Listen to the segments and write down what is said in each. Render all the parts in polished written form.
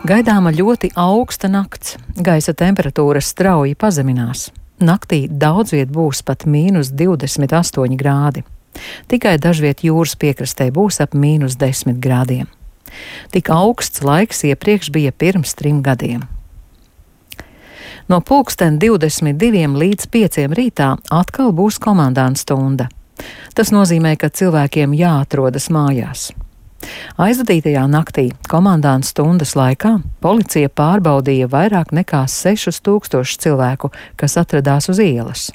Gaidāma ļoti augsta nakts, gaisa temperatūra strauji pazeminās. Naktī daudz viet būs pat -28 grādi. Tikai dažviet jūras piekrastē būs ap -10 grādiem. Tik augsts laiks iepriekš bija pirms 3 gadiem. No 22 līdz 5 rītā atkal būs komandanta stunda. Tas nozīmē, ka cilvēkiem jāatrodas mājās. Aizvadītajā naktī komandanta stundas laikā policija pārbaudīja vairāk nekā 6000 cilvēku, kas atradās uz ielas.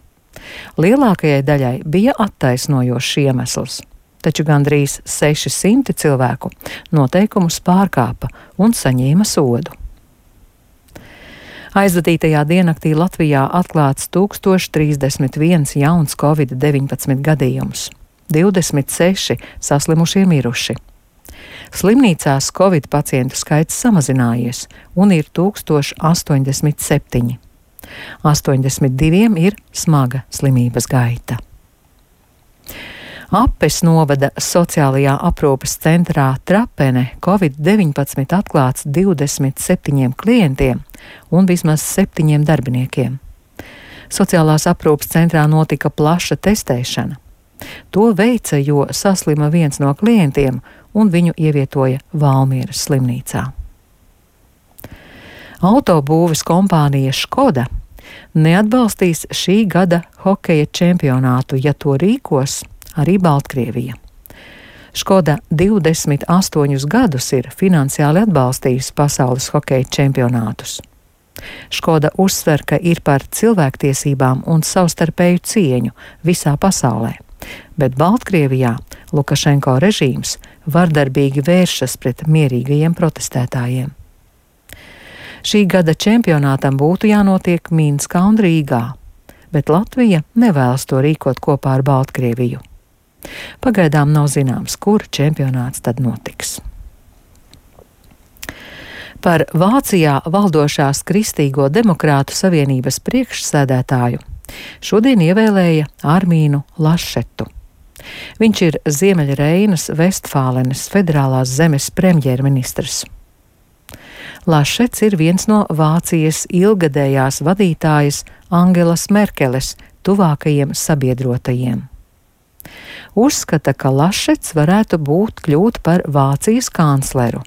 Lielākajai daļai bija attaisnojošs iemesls, taču gandrīz 600 cilvēku noteikumus pārkāpa un saņēma sodu. Aizvadītajā diennaktī Latvijā atklāts 1031 jauns Covid-19 gadījums, 26 saslimušie miruši. Slimnīcās Covid pacientu skaits samazinājies un ir 1087. 82 ir smaga slimības gaita. Apes novada sociālajā aprūpes centrā Trapene Covid-19 atklāts 27 klientiem un vismaz 7 darbiniekiem. Sociālās aprūpes centrā notika plaša testēšana. To veica, jo saslima viens no klientiem un viņu ievietoja Valmieras slimnīcā. Autobūves kompānija Škoda neatbalstīs šī gada hokeja čempionātu, ja to rīkos arī Baltkrievija. Škoda 28 gadus ir finansiāli atbalstījusi pasaules hokeja čempionātus. Škoda uzsver, ka ir par cilvēktiesībām un savstarpēju cieņu visā pasaulē, bet Baltkrievijā Lukašenko režīms vardarbīgi vēršas pret mierīgajiem protestētājiem. Šī gada čempionātam būtu jānotiek Minskā un Rīgā, bet Latvija nevēlas to rīkot kopā ar Baltkrieviju. Pagaidām nav zināms, kur čempionāts tad notiks. Par Vācijā valdošās Kristīgo demokrātu savienības priekšsēdētāju šodien ievēlēja Armīnu Lašetu. Viņš ir Ziemeļreinas Vestfālenes federālās zemes premjerministrs. Lašets ir viens no Vācijas ilgadējās vadītājas Angelas Merkeles tuvākajiem sabiedrotajiem. Uzskata, ka Lašets varētu kļūt par Vācijas kancleru.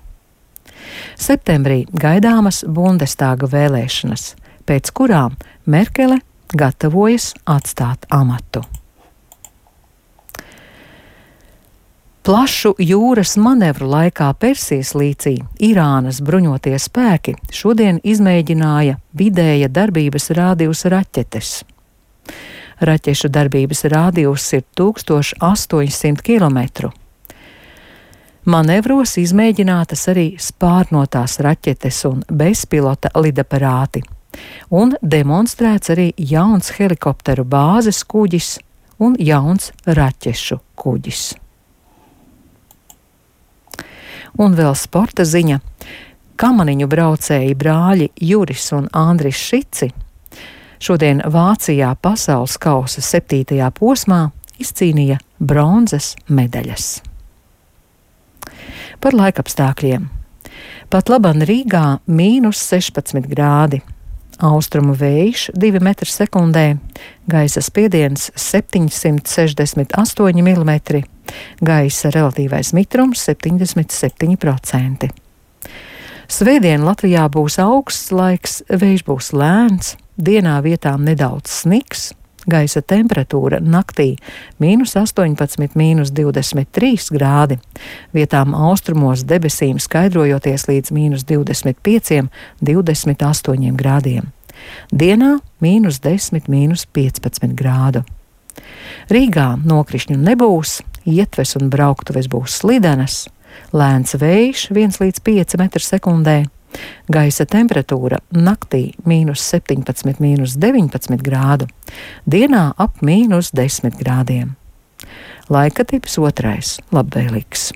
Septembrī gaidāmas Bundestāga vēlēšanas, pēc kurām Merkele gatavojas atstāt amatu. Plašu jūras manevru laikā Persijas līcī Irānas bruņotie spēki šodien izmēģināja vidēja darbības rādījusa raķetes. Raķešu darbības rādījus ir 1800 km. Manevros izmēģinātas arī spārnotās raķetes un bezpilota lidaparāti, un demonstrēts arī jauns helikopteru bāzes kuģis un jauns raķešu kuģis. Un vēl sporta ziņa. Kamaniņu braucēji brāļi Juris un Andris Šici šodien Vācijā pasaules kausa 7. posmā izcīnīja bronzas medaļas. Par laikapstākļiem. Pat laban Rīgā -16 grādi. Austrumu vējš 2 m/sekundē, gaisa spiediens 768 mm, gaisa relatīvais mitrums 77%. Svētdien Latvijā būs augsts laiks, vējš būs lēns, dienā vietām nedaudz sniks, gaisa temperatūra naktī -18, -23 grādi, vietām austrumos debesīm skaidrojoties līdz -25, -28 grādiem. Dienā -10, -15 grādu. Rīgā nokrišņu nebūs, ietves un brauktuves būs slidenas, lēns vējš 1 līdz 5 m/sekundē, gaisa temperatūra naktī -17, -19 grādu, dienā ap -10 grādiem. Laika tips 2. labvēlīgs.